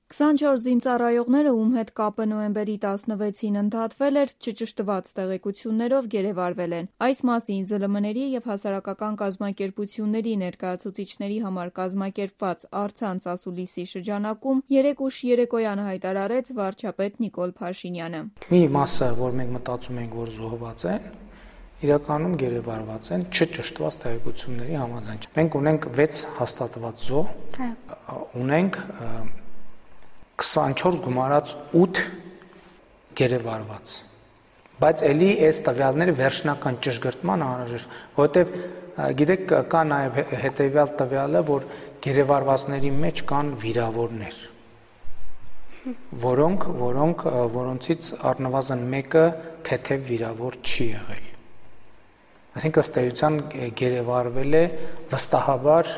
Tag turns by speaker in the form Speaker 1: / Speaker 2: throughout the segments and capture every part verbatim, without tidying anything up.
Speaker 1: քսանչորս զինծառայողները, ում հետ կապը նոյեմբերի տասնվեցին ընդհատվել էր, չճշտված տեղեկություններով գերեվարվել են։ Այս մասին Զ Լ Մ-ների և հասարակական կազմակերպությունների ներկայացուցիչների համար կազմակերպված առցանց ասուլիսի շրջանակում երեկ ուշ երեկոյան հայտարարեց վարչապետ Նիկոլ Փաշինյանը։
Speaker 2: Մի մասը, որ մենք մտածում ենք, որ զոհված են, իրականում գերեվարված են չճշտված տեղեկությունների համաձայն։ Մենք ունենք վեց հաստատված զոհ, ունենք քսանչորս գումարած ութ գերեվարված, բայց էլի այս տվյալները վերջնական ճշգրտման անհրաժեշտ, որովհետև գիտեք կա նաև հետևյալ տվյալը, որ գերեվարվածների մեջ կան վիրավորներ, որոնք, որոնք, որոնցից առնվազն մեկը թեթև վիրավոր չի եղել։ Այսինքն ըստ էության գերեվարվել է վստահաբար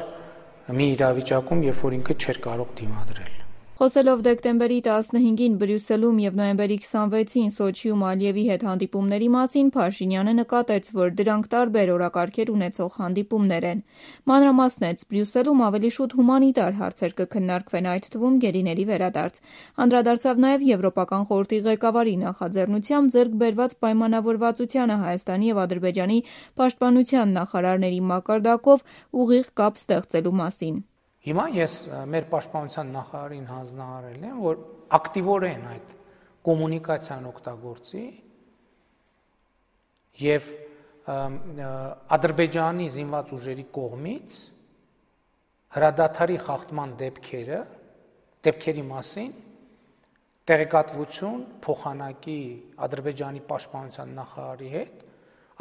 Speaker 2: մի իրավիճակում, երբ որ ինքը չէր կարող դիմադրել։
Speaker 1: Խոսելով դեկտեմբերի տասնհինգին Բրյուսելում և նոյեմբերի քսանվեցին Սոչիում Ալիևի հետ հանդիպումների մասին Փաշինյանը նկատեց, որ դրանք տարբեր օրակարգեր ունեցող հանդիպումներ են։ Մանրամասնեց, Բրյուսելում ավելի շուտ հումանիտար հարցեր կքննարկվեն, այդ թվում գերիների վերադարձ։ Անդրադարձավ նաև Եվրոպական խորհրդի ղեկավարի նախաձեռնությամբ ձեռք բերված պայմանավորվածությանը Հայաստանի և Ադրբեջանի պաշտպանության նախարարների մակարդակով ուղիղ կապ ստեղծելու մասին։
Speaker 2: Հիմա ես մեր պաշտպանության նախարարին հանձնարարել եմ, որ ակտիվորեն այդ կոմունիկացիան օգտագործի և Ադրբեջանի զինված ուժերի կողմից հրադադարի խախտման դեպքերը, դեպքերի մասին տեղեկատվություն փոխանակի Ադրբեջանի պաշտպանության նախարարի հետ,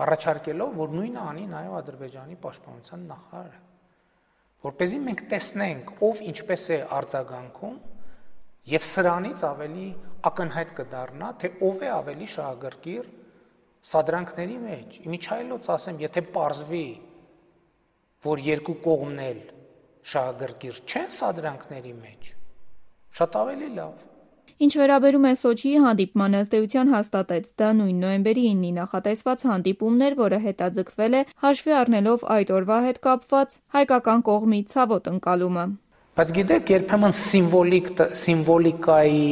Speaker 2: առաջարկելով, որ նույնը անի նաև Ադրբեջանի պաշտպանության նախարարը, որպեսզի մենք տեսնենք, ով ինչպես է արձագանքում և սրանից ավելի ակնհայտ կդառնա, թե ով է ավելի շահագրգիռ սադրանքների մեջ։ Իմիջիայլոց ասեմ, եթե պարզվի, որ երկու կողմն էլ շահագրգիռ չեն սադրանքների մեջ, շատ ավելի լավ։
Speaker 1: Ինչ վերաբերում է Սոչիի հանդիպմանը, ըստ էության հաստատեց, դա նույն նոյեմբերի իննին նախատեսված հանդիպումն էր, որը հետաձգվել է հաշվի առնելով այդ օրվա հետ կապված հայկական կողմի ցավոտ ընկալումը։
Speaker 2: Բայց գիտեք, երբեմն սիմվոլիկ, սիմվոլիկայի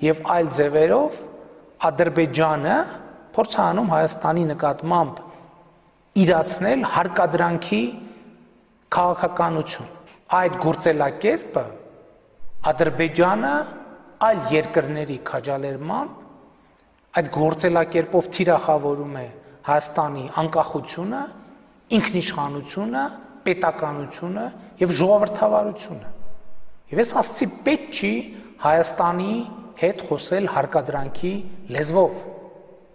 Speaker 2: և այլ ձևերով Ադրբեջանը փորձ է անում Հայաստանի նկատմամբ իրացնել հարկադրանքի քաղաքականություն։ Այդ գործելակերպը Ադրբեջանը այլ երկրների քաջալերմամբ այդ գործելակերպով թիրախավորում է Հայաստանի անկախությունը, ինքնիշխանությունը, պետականությունը և ժողովրդավարությունը։ Եվ ես ասացի պետք չի Հայաստանի հետ խոսել հարկադրանքի լեզվով։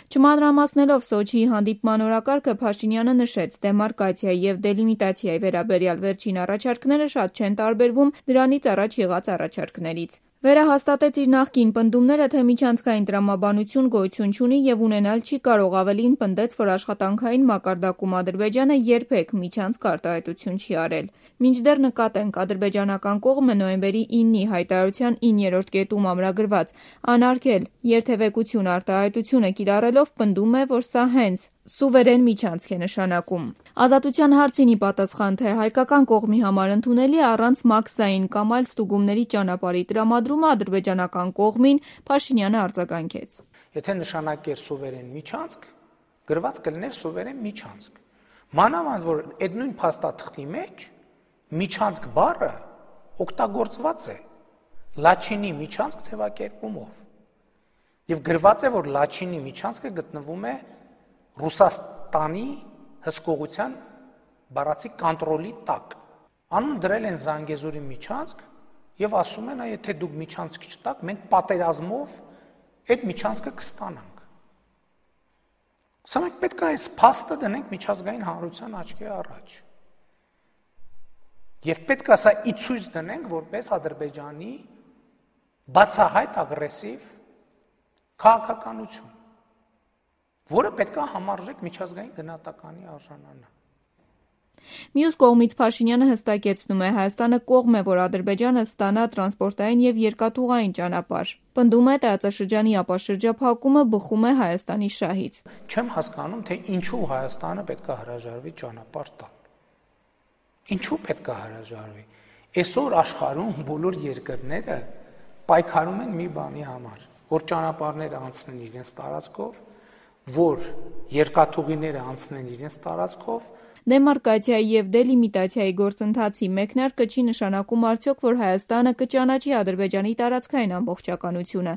Speaker 1: Չմանրամասնելով Սոչիի հանդիպման օրակարգը Փաշինյանը նշեց, դեմարկացիայի և դելիմիտացիայի վերաբերյալ վերջին առաջարկները շատ չեն տարբերվում դրանից առաջ եղած առաջարկներից։ Վերահաստատեց իր նախկին պնդումները, թե միջանցքային տրամաբանություն գոյություն չունի և ունենալ չի կարող, ավելին պնդեց, որ աշխատանքային մակարդակում Ադրբեջանը երբեք միջանցք արտահայտություն չի արել։ Մինչդեռ նկատենք, ադրբեջանական կողմը նոյեմբերի իննի հայտարարության իններորդ կետում ամրագրված անարգել երթևեկություն արտահայտությունը կիրառելով պնդում է, որ սա հենց սուվերեն միջանցք է նշանակում։ Ազատության հարցին ի պատասխան, թե հայկական կողմի համար ընդունելի է առանց մաքսային կամ այլ ստուգումների ճանապարհի տրամադրումը ադրբեջանական կողմին, Փաշինյանը արձագանքեց։
Speaker 2: Եթե նշանակեր սուվերեն միջանցք, գրված կլիներ սուվերեն միջանցք։ Մանավանդ որ այդ նույն փաստաթղթի մեջ միջանցք բառը օգտագործված է լաչինի միջանցք թևակերպումով։ Եվ գրված է, որ լաչինի միջանցքը գտնվում է Ռուսաստանի հսկողության բառացի կոնտրոլի տակ։ Անուն դրել են Զանգեզուրի միջանցք և ասում են, եթե դուք միջանցք չտաք, մենք պատերազմով այդ միջանցքը կստանանք։ Սա մենք պետք է այս փաստը դնենք միջազգային հանրության աչքի առաջ։ Եվ պետք է սա ի ցույց դնենք որպես Ադրբեջանի բացահայտ ագրեսիվ քաղաքականություն, որը պետք է համարժեք միջազգային գնահատականի արժանանա։
Speaker 1: Մյուս կողմից Փաշինյանը հստակեցնում է, Հայաստանը կողմ է, որ Ադրբեջանը ստանա տրանսպորտային և երկաթուղային ճանապարհ։ Պնդում է, տարածաշրջանի ապաշրջափակումը բխում է Հայաստանի շահից։
Speaker 2: Չեմ հասկանում, թե ինչու Հայաստանը պետք է հրաժարվի ճանապարհ տալ։ Ինչու պետք է հրաժարվի։ Այսօր աշխարհում բոլոր երկրները պայքարում են մի բանի համար, որ ճանապարհները անցնեն իրենց տարածքով, որ երկաթուղիները անցնեն իրենց տարածքով։
Speaker 1: Դեմարկացիայի և դելիմիտացիայի գործընթացի մեկնարկը չի նշանակում արդյոք, որ Հայաստանը կճանաչի Ադրբեջանի տարածքային ամբողջականությունը։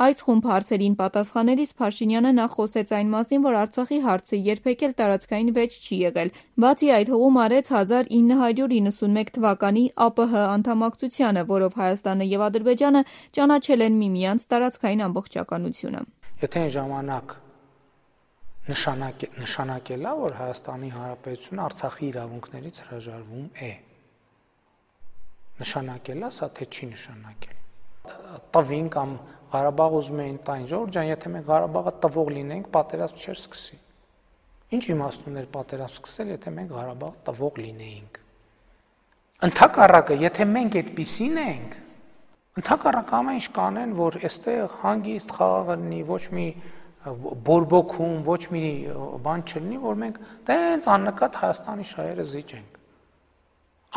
Speaker 1: Այս խումբ հարցերին պատասխանելիս Փաշինյանը նախ խոսեց այն մասին, որ Արցախի հարցը երբեք էլ տարածքային վեճ չի եղել։ Բացի այդ, հողում արեց հազար ինը հարյուր իննսունմեկ թվականի ԱՊՀ անդամակցությանը, որով Հայաստանը և Ադրբեջանը ճանաչել են միմյանց տարածքային ամբողջականությունը։
Speaker 2: Եթե այն ժամանակ Նշանակ, նշանակելա, որ Հայաստանի Հանրապետությունը Արցախի իրավունքներից հրաժարվում է։ Նշանակելա, սա թե չի նշանակել։ Տվին կամ Ղարաբաղ ուզում էին տային, Ժողովուրդ ջան, եթե մենք Ղարաբաղը տվող լինենք, պատերազմ չէր սկսի։ Ինչ իմաստ ուներ պատերազմ սկսել, եթե մենք Ղարաբաղը տվող լինեինք։ Ընդհակառակը, եթե մենք այդպիսին ենք, ընդհակառակը ամեն ինչ կանեն, որ այստեղ հանգիստ խաղաղ լինի, ոչ մի բորբոքում, ոչ մի բան չլինի, որ մենք տենց աննկատ Հայաստանի շահերը զիջենք։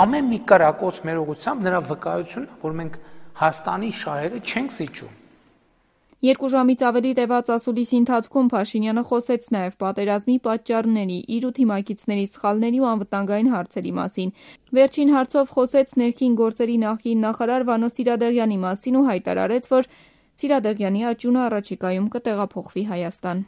Speaker 2: Ամեն մի կրակոց մեր ուղղությամբ նրա վկայությունն է, որ մենք Հայաստանի շահերը չենք զիջում։
Speaker 1: Երկու ժամից ավելի տևած ասուլիսի ընթացքում Փաշինյանը խոսեց նաև պատերազմի պատճառների, իր ու թիմակիցների սխալների ու անվտանգային հարցերի մասին։ Վերջին հարցով խոսեց ներքին գործերի նախկին նախարար Վանո Սիրադեղյանի մասին ու հայտարարեց, որ Սիրադեղյանի աճյունը առաջիկայում կտեղափոխվի Հայաստան։